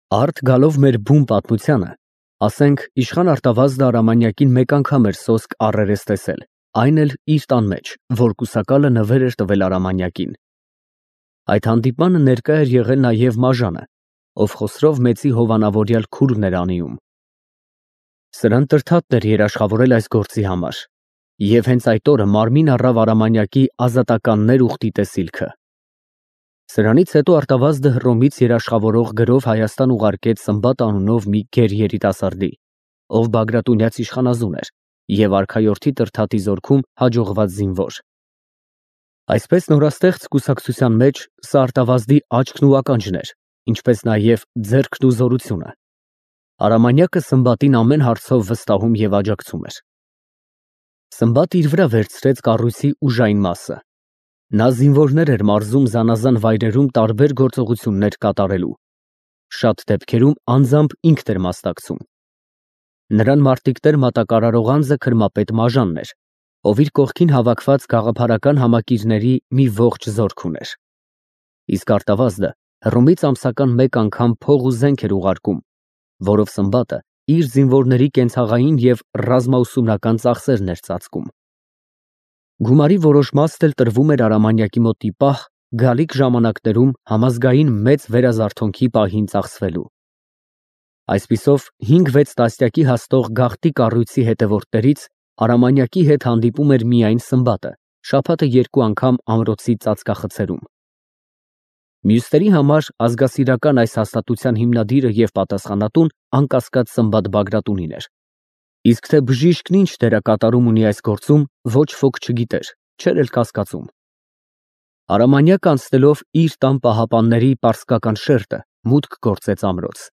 Արդ գալով մեր բուն պատմությանը, ասենք իշխան Արտավազդը Արամանյակին մեկ անգամ էր սոսկ առերես տեսել, այն էլ իր տան մեջ, որ կուսակալը նվեր էր տվել Արամանյակին։ Այդ հանդիպմանը ներկա էր եղել նաև Մաժանը, ով Խոսրով մեծի հովանավորյալ քուրմն էր անիում։ Սրան տրթատն էր երաշխավորել այս գործի համար, և հենց այդ օրը մարմին առավ Արամանյակի ազատականներ ուխտի տեսիլքը։ Սրանից հետո Արտավազդը Հռոմից երաշխավորող գրով Հայաստան ուղարկեց Սմբատ անունով մի գեր երիտասարդի, ով Բագրատունյաց իշխանազուն էր և արքայորդի Տրթատի զորքում հաջողված զինվոր։ Այսպես նորաստեղծ կուսակցության մեջ սա Արտավազդի աչքն ու ականջն էր, ինչպես նաև ձեռքն ու զորությունը։ Արամանյակը Սմբատին ամեն հարցով վստահում և աջակցում էր։ Սմբատը իր վրա վերցրեց կառույցի ուժային մասը։ Նա զինվորներ էր մարզում զանազան վայրերում տարբեր գործողություններ կատարելու։ Շատ դեպքերում անձամբ ինքն էր մասնակցում։ Նրան մարտիկտեր մատակարարող անձը քրմապետ Մաժանն էր, ով իր կողքին հավաքված գաղափարական համակիրների մի ողջ զորք ուներ։ Իսկ Արտավազդը Հռոմից ամսական մեկ անգամ փող ու զենք էր ուղարկում, որով Սմբատը իր զինվորների կենցաղային և ռազմաուսումնական ծախսերն էր ծածկում։ Գումարի որոշ մասն էլ տրվում էր Արամանյակի մոտ ի պահ գալիք ժամանակներում համազգային մեծ վերազարթոնքի պահին ծախսվելու։ Այսպիսով 5-6 տասնյակի հասնող գաղտնի կառույցի հետևորդներից Արամանյակի հետ հանդիպում էր միայն Սմբատը, շաբաթը 2 անգամ ամրոցի ծածկախցերում։ Մյուսների համար ազգասիրական այս հաստատության հիմնադիրը և պատասխանատուն անկասկած Սմբատ Բագրատունին էր։ Իսկ թե բժիշկն ինչ դերակատարում ունի այս գործում, ոչ ոք չգիտեր, չէր էլ կասկածում։ Արամանյակը անցնելով իր տան պահապանների պարսկական շերտը, մուտք գործեց ամրոց։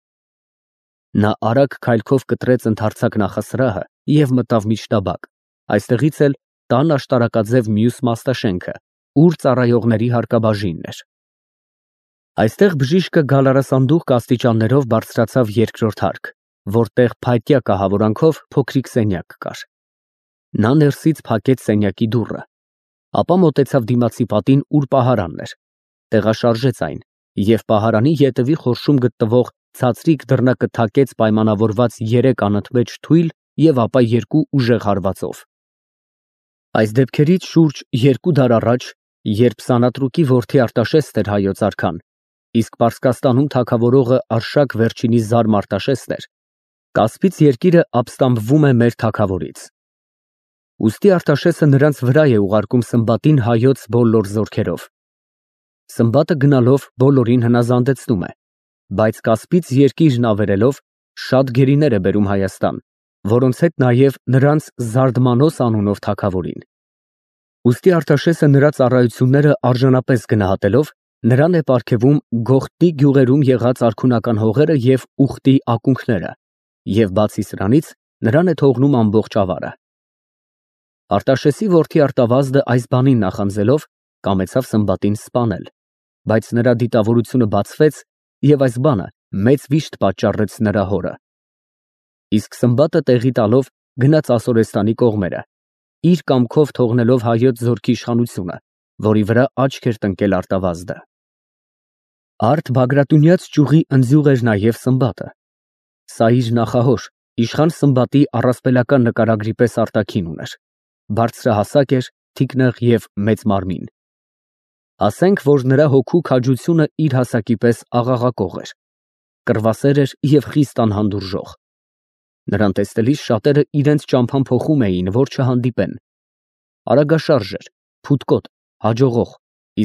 Նա արագ քայլքով կտրեց ընդարձակ նախասրահը և մտավ միջտաբակ, այստեղից էլ տան աշտարակաձև մյուս մաստաշենքը, ուր ծառայողների հարկաբաժինն էր։ Այստեղ բժիշկը գալարասանդուղք աստիճաններով բարձրացավ երկրորդ հարկ, որտեղ փայտյա կահավորանքով փոքրիկ սենյակ կար։ Նա ներսից փակեց սենյակի դուռը, ապա մոտեցավ դիմացի պատին, ուր պահարանն էր, տեղաշարժեց այն և պահարանի ետևի խորշում գտնվող ցածրիկ դռնակը թակեց պայմանավորված 3 անընդմեջ թույլ և ապա 2 ուժեղ հարվածով։ Այս դեպքերից շուրջ 2 դար առաջ, երբ Սանատրուկի որդի Արտաշեսն էր հայոց արքան, իսկ Պարսկաստանում թագավորողը Արշակ վերջինի զարմ Արտաշեսն էր, Կասպից երկիրը ապստամբվում է մեր թագավորից։ Ուստի Արտաշեսը նրանց վրա է ուղարկում Սմբատին հայոց բոլոր զորքերով։ Սմբատը գնալով բոլորին հնազանդեցնում է, բայց Կասպից երկիրն ավերելով շատ գերիներ է բերում Հայաստան, որոնց հետ նաև նրանց Զարդմանոս անունով թագավորին։ Ուստի Արտաշեսը նրա ծառայությունները արժանապես գնահատելով, նրան է պարգևում Գողթնի գյուղերում եղած արքունական հողերը և ուխտի ակունքները, և բացի սրանից նրան է թողնում ամբողջ ավարը։ Արտաշեսի որդի Արտավազդը այս բանին նախանձելով կամեցավ Սմբատին սպանել, բայց նրա դիտավորությունը բացվեց և այս բանը մեծ վիշտ պատճառեց նրա հորը։ Իսկ Սմբատը տեղի տալով գնաց Ասորեստանի կողմերը, իր կամքով թողնելով հայոց զորքի իշխանությունը, որի վրա աչք էր տնկել Արտավազդը։ Արդ Բագրատունյաց ճյուղի ընձյուղ էր նաև Սմբատը։ Սա իր նախահոր, իշխան Սմբատի առասպելական նկարագրի պես արտաքին ուներ, բարձրահասակ էր, թիկնեղ և մեծ մարմին։ Ասենք, որ նրա հոգու քաջությունը իր հասակի պես աղաղակող էր, կռվասեր էր և խիստ անհանդուրժող։ Նրան տեսնելիս շատերը իրենց ճամփան փոխում էին, որ չհանդիպեն։ Արագաշարժ էր, փութկոտ, հաջողող,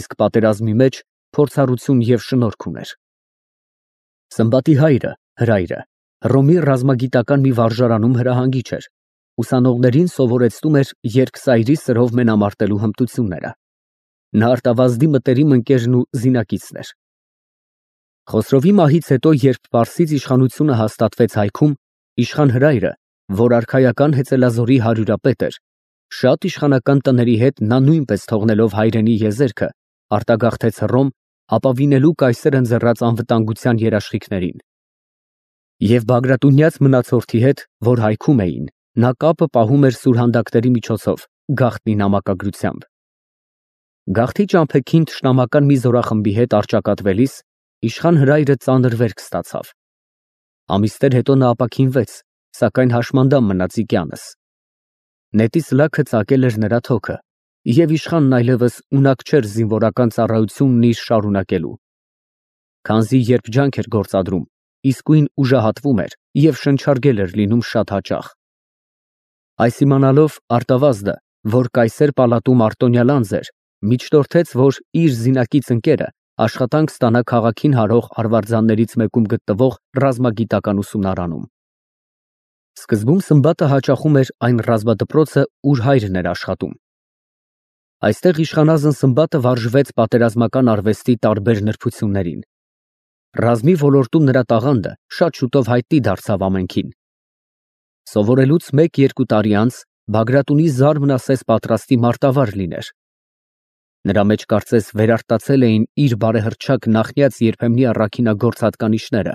իսկ պատերազմի մեջ փորձառություն և շնորհք ուներ։ Սմբատի հայրը, Հրայրը, Հռոմի ռազմագիտական մի վարժարանում հրահանգիչ էր, ուսանողներին սովորեցնում էր երկսայրի սրով մենամարտելու հմտությունները։ Նա Արտավազդի մտերիմ ընկերն ու զինակիցն էր։ Խոսրովի մահից հետո, երբ Պարսից իշխանությունը հաստատվեց հայքում, իշխան Հրայրը, որ արքայական հեծելազորի հարյուրապետ էր, շատ իշխանական տների հետ նա նույնպես թողնելով հայրենի եզերքը, արտագաղթեց Հռոմ, ապավինելու կայսեր ընձեռած անվտանգության երաշխիքներին։ Եվ Բագրատունյաց մնացորդի հետ, որ հայքում էին, նա կապը պահում էր սուրհանդակների միջոցով, գաղտնի նամակագրությամբ։ Գաղթի ճամփեքին թշնամական մի զորախմբի հետ առճակատվելիս իշխան Հրայրը ծանր վերք ստացավ, Ամիսներ հետո նա ապաքինվեց, սակայն հաշմանդամ մնաց Իկյանս։ Նետի սլաքը ծակել էր նրա թոքը, և իշխանն այլևս ունակ չէր զինվորական ծառայությունն իր շարունակելու։ Քանզի երբ ջանք էր գործադրում, իսկույն ուժահատվում էր և շնչարգել էր լինում շատ հաճախ։ Այս իմանալով Արտավազդը, որ կայսեր պալատում արտոնյալ անձ էր, միջնորդեց, որ իր զինակից ընկերը աշխատանք ստանա քաղաքին հարող արվարձաններից մեկում գտնվող ռազմագիտական ուսումնարանում։ Սկզբում Սմբատը հաճախում էր այն ռազմադպրոցը, ուր հայրն էր աշխատում։ Այստեղ իշխանազն Սմբատը վարժվեց պատերազմական արվեստի տարբեր նրբություններին։ Ռազմի ոլորտում նրա տաղանդը շատ շուտով հայտնի դարձավ ամենքին։ Սովորելուց 1-2 տարի անց Բագրատունի զարմն ասես պատրաստի մարտավար լիներ։ Նրա մեջ կարծես վերարտացել էին իր բարեհրճակ նախնյաց երբեմնի առաքինագործ հատկանիշները,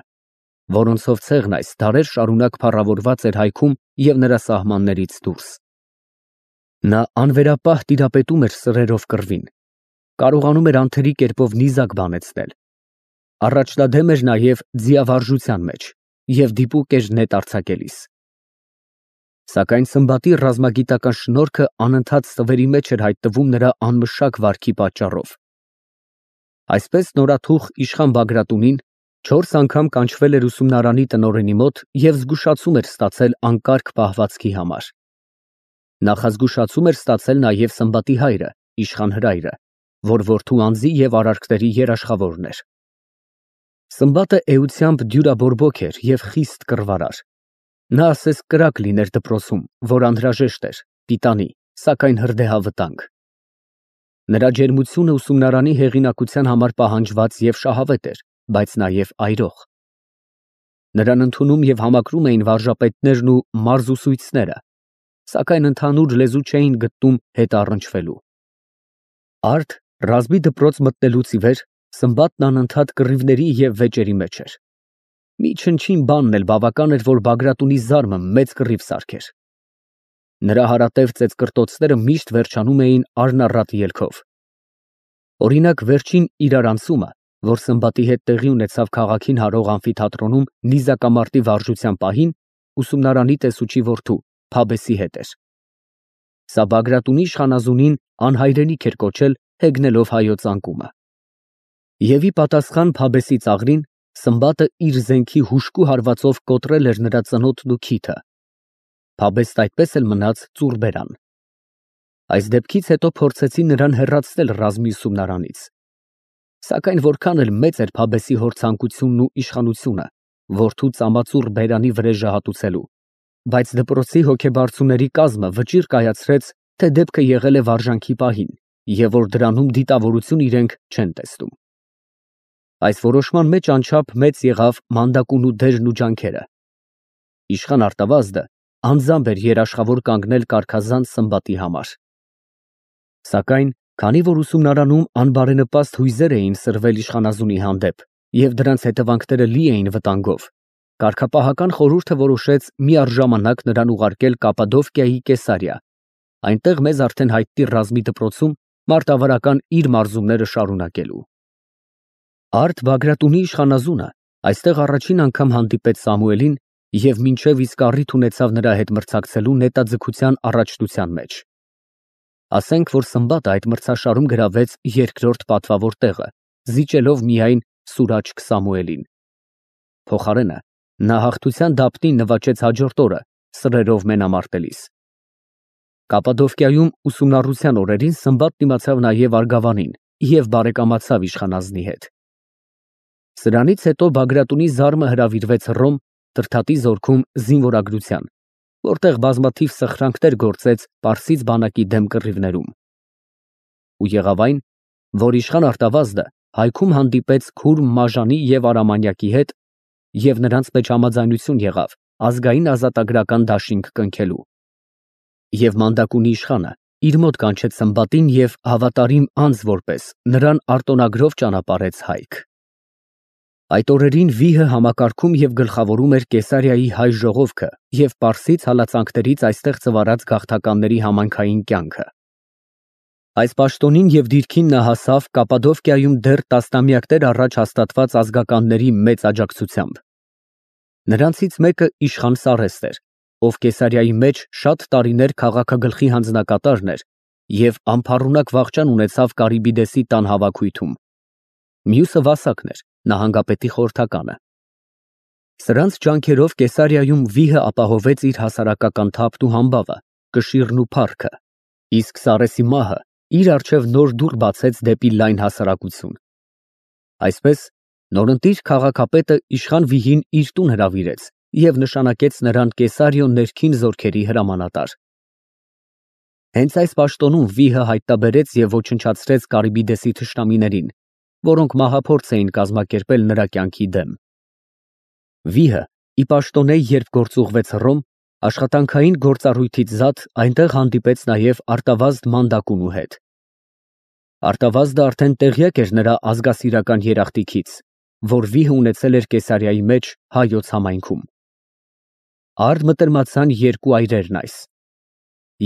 որոնցով ցեղն այս դարեր շարունակ փառավորված էր հայքում և նրա սահմաններից դուրս։ Նա անվերապահ տիրապետում էր սրերով կռվին, կարողանում էր անթերի կերպով նիզակ բանեցնել։ Առաջնադեմ էր նաև ձիավարժության մեջ և դիպուկ էր նետ արձակելիս։ Սակայն Սմբատի ռազմագիտական շնորհքը անընդհատ ստվերի մեջ էր հայտնվում նրա անմշակ վարքի պատճառով։ Այսպես նորաթուխ իշխան Բագրատունին 4 անգամ կանչվել էր ուսումնարանի տնօրենի մոտ և զգուշացում էր ստացել անկարգ պահվածքի համար։ Նախազգուշացում էր ստացել նաև Սմբատի հայրը, իշխան Հրայրը, որ որդու անձի և արարքների երաշխավորն էր։ Սմբատը էությամբ դյուրաբորբոք էր և խիստ կռվարար։ Նա ասես կրակ լիներ դպրոցում, որ անհրաժեշտ էր, պիտանի, սակայն հրդեհավտանգ։ Նրա ջերմությունը ուսումնարանի հեղինակության համար պահանջված և շահավետ էր, բայց նաև այրող։ Նրան ընդունում և համակրում էին վարժապետներն ու մարզուսույցները, սակայն ընդհանուր լեզու չէին գտնում հետ առնչվելու։ Արդ ռազմի դպրոց մտնելուց ի վեր Սմբատն անընդհատ կռիվների և վեճերի մեջ էր։ Մի չնչին բանն էլ բավական էր, որ Բագրատունի զարմը մեծ կռիվ սարքեր։ Նրա հարատև ծեծկռտոցները միշտ վերջանում էին արնառատ ելքով։ Օրինակ, վերջին իրարանցումը, որ Սմբատի հետ տեղի ունեցավ քաղաքին հարող ամֆիթատրոնում նիզակամարտի վարժության պահին, ուսումնարանի տեսուչի որդու Փաբեսի հետ էր։ Սա Բագրատունի իշխանազունին անհայրենիք էր կոչել, հեգնելով հայոց անկումը։ Եվ ի պատասխան Փաբեսի ծաղրին Սմբատը իր զենքի հուժկու հարվածով կոտրել էր նրա ծնոտն ու քիթը։ Փաբեսն այդպես էլ մնաց ծուռ բերան։ Այս դեպքից հետո փորձեցին նրան հեռացնել ռազմի ուսումնարանից։ Սակայն որքան էլ մեծ էր Փաբեսի հոր ցանկությունն ու իշխանությունը որդու ծամածուռ բերանի վրեժը հատուցելու, բայց դպրոցի հոգեբարձուների կազմը վճիռ կայացրեց, թե դեպքը եղել է վարժանքի պահին, և որ դրանում դիտավորություն իրենք չեն տեսնում։ Այս որոշման մեջ անչափ մեծ եղավ Մանդակունու դերն ու ջանքերը։ Իշխան Արտավազդը անձամբ էր երաշխավոր կանգնել կարգազանց Սմբատի համար։ Սակայն, քանի որ ուսումնարանում անբարենպաստ հույզեր էին սրվել իշխանազունի հանդեպ և դրանց հետևանքները լի էին վտանգով, կարգապահական խորհուրդը որոշեց միառժամանակ նրան ուղարկել Կապադովկիայի Կեսարիա, այնտեղ մեզ արդեն հայտնի ռազմի դպրոցում մարտավարական իր մարզումները շարունակելու։ Արդ Բագրատունի իշխանազունը այստեղ առաջին անգամ հանդիպեց Սամուելին և մինչև իսկ առիթ ունեցավ նրա հետ մրցակցելու նետաձգության առաջնության մեջ։ Ասենք, որ Սմբատը այդ մրցաշարում գրավեց երկրորդ պատվավոր տեղը, զիջելով միայն Սուրաչկ Սամուելին։ Փոխարենը նա հաղթության դափնին նվաճեց հաջորդ օրը սրերով մենամարտելիս։ Կապադովկիայում ուսումնառության օրերին Սմբատն իմացավ նաև Արգավանին և բարեկամացավ իշխանազնի հետ։ Սրանից հետո Բագրատունի զարմը հրավիրվեց Հռոմ Տրդատի զորքում զինվորագրության, որտեղ բազմաթիվ սխրանքներ գործեց պարսից բանակի դեմ կռիվներում։ Ու եղավ այն, որ իշխան Արտավազդը հայքում հանդիպեց Քուրմ Մաժանի և Արամանյակի հետ և նրանց մեջ համաձայնություն եղավ ազգային ազատագրական դաշինք կնքելու։ Եվ Մանդակունի իշխանը իր մոտ կանչեց Սմբատին և հավատարիմ անձ որպես նրան արտոնագրով ճանապարհեց հայք։ Այդ օրերին վիհը համակարգում և գլխավորում էր Կեսարիայի հայ ժողովքը և պարսից հալածանքներից այստեղ ծվարած գաղթականների համայնքային կյանքը։ Այս պաշտոնին և դիրքին նա հասավ Կապադովկիայում դեռ տասնամյակներ առաջ հաստատված ազգականների մեծ աջակցությամբ։ Նրանցից մեկը իշխան Սառեստ էր, ով Կեսարիայի մեջ շատ տարիներ քաղաքագլխի հանձնակատարն էր և անփառունակ վախճան ունեցավ Կարիբիդեսի տան հավաքույթում։ Մյուսը Վասակն էր, նահանգապետի խորհրդականը։ Սրանց ջանքերով Կեսարիայում վիհը ապահովեց իր հասարակական թափն ու համբավը, կշիռն ու փառքը, իսկ Սառեսի մահը իր առջև նոր դուռ բացեց դեպի լայն հասարակություն։ Այսպես, նորընտիր քաղաքապետը իշխան վիհին իր տուն հրավիրեց և նշանակեց նրան Կեսարիոն ներքին զորքերի հրամանատար։ Հենց այս պաշտոնում վիհը հայտնաբերեց և ոչնչացրեց Կարիբիդեսի թշնամիներին, որոնք մահափորձ էին կազմակերպել նրա կյանքի դեմ։ Վիհը ի պաշտոնե, երբ գործուղվեց Հռոմ, աշխատանքային գործառույթից զատ այնտեղ հանդիպեց նաև Արտավազդ Մանդակունու հետ։ Արտավազդը արդեն տեղյակ էր նրա ազգասիրական երախտիկից, որ վիհը ունեցել էր Կեսարիայի մեջ հայոց համայնքում։ Արդ մտրմացան երկու այրերն այս,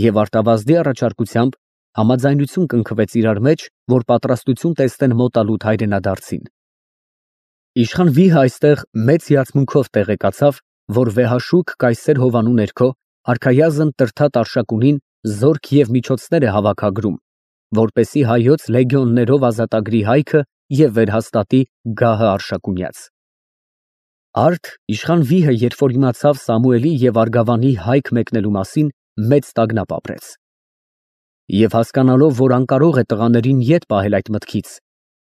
և Արտավազդի առաջարկությամբ համաձայնություն կնքվեց իրար մեջ, որ պատրաստություն տեսնեն մոտալուտ հայրենադարձին։ Իշխան վիհը այստեղ մեծ հիացմունքով տեղեկացավ, որ վեհաշուք կայսեր հովանու ներքո արքայազն Տրդատ Արշակունին զորք և միջոցներ է հավաքագրում, որպեսզի հայոց լեգիոններով ազատագրի հայքը և վերհաստատի գահը Արշակունյաց։ Արդ իշխան վիհը, երբ որ իմացավ Սամուելի և Արգավանի հայք մեկնելու մասին, մեծ տագնապ ապրեց։ Եվ հասկանալով, որ անկարող է տղաներին ետ պահել այդ մտքից,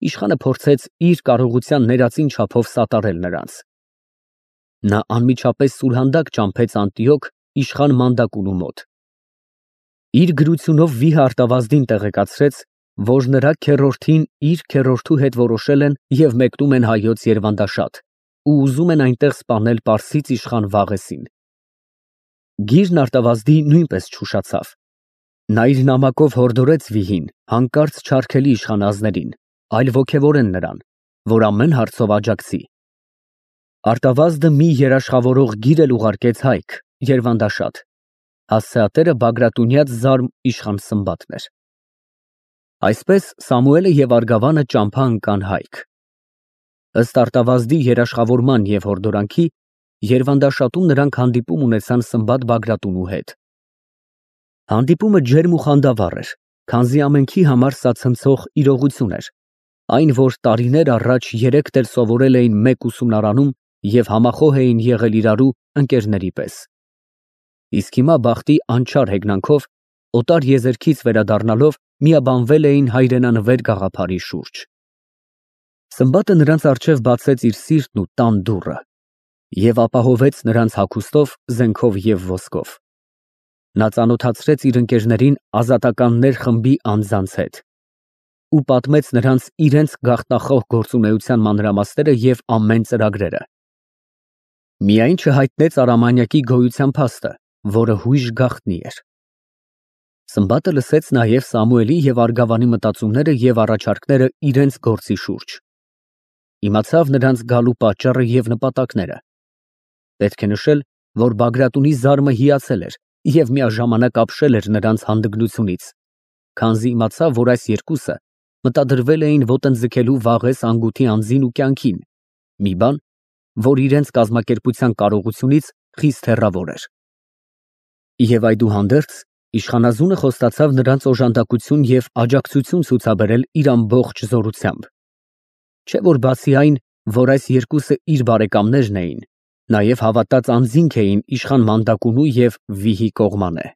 իշխանը փորձեց իր կարողության ներածին չափով սատարել նրանց։ Նա անմիջապես սուրհանդակ ճամփեց Անտիոք իշխան Մանդակունու մոտ։ Իր գրությունով վիհը Արտավազդին տեղեկացրեց, որ նրա քեռորդին իր քեռորդու հետ որոշել են և մեկնում են հայոց Երվանդաշատ ու ուզում են այնտեղ սպանել պարսից իշխան Վաղեսին։ Գիրն Արտավազդի նույնպես չուշացավ։ Նա իր նամակով հորդորեց վիհին հանկարծ չարգելի իշխանազներին, այլ ոգևորեն նրան, որ ամեն հարցով աջակցի։ Արտավազդը մի երաշխավորող գիր էլ ուղարկեց հայք, Երվանդաշատ։ Հասցեատերը Բագրատունյաց զարմ իշխան Սմբատն էր։ Այսպես Սամուելը և Արգավանը ճամփա ընկան հայք։ Ըստ Արտավազդի երաշխավորման և հորդորանքի, Երվանդաշատում նրանք հանդիպում ունեցան Սմբատ Բագրատունու հետ։ Հանդիպումը ջերմ ու խանդավառ էր, քանզի ամենքի համար սա ցնցող իրողություն էր, այն, որ տարիներ առաջ երեքդ էլ սովորել էին մեկ ուսումնարանում և համախոհ էին եղել իրարու ընկերների պես։ Իսկ հիմա բախտի անչար հեգնանքով, օտար եզերքից վերադառնալով, միաբանվել էին հայրենանվեր գաղափարի շուրջ։ Սմբատը նրանց առջև բացեց իր սիրտն ու տան դուռը և ապահովեց նրանց հագուստով, զենքով և ոսկով։ Նա ծանոթացրեց իր ընկերներին ազատականներ խմբի անձանց հետ ու պատմեց նրանց իրենց գաղտնախոհ գործունեության մանրամասները և ամեն ծրագրերը։ Միայն չհայտնեց Արամանյակի գոյության փաստը, որը հույժ գաղտնի էր։ Սմբատը լսեց նաև Սամուելի և Արգավանի մտածումները և առաջարկները իրենց գործի շուրջ։ Իմացավ նրանց գալու պատճառը և նպատակները։ Պետք է նշել, որ Բագրատունի զարմը հիացել էր և միաժամանակ ապշել էր նրանց հանդգնությունից, քանզի իմացավ, որ այս երկուսը մտադրվել էին ոտնձգելու Վաղես անգութի անձին ու կյանքին, մի բան, որ իրենց կազմակերպության կարողությունից խիստ հեռավոր էր։ Եվ այդուհանդերձ իշխանազունը խոստացավ նրանց օժանդակություն և աջակցություն ցուցաբերել իր ամբողջ զորությամբ։ Չէ որ բացի այն, որ այս երկուսը իր բարեկամներն էին, նաև հավատաց անձինք էին իշխան Մանդակունու և վիհի կողմանը։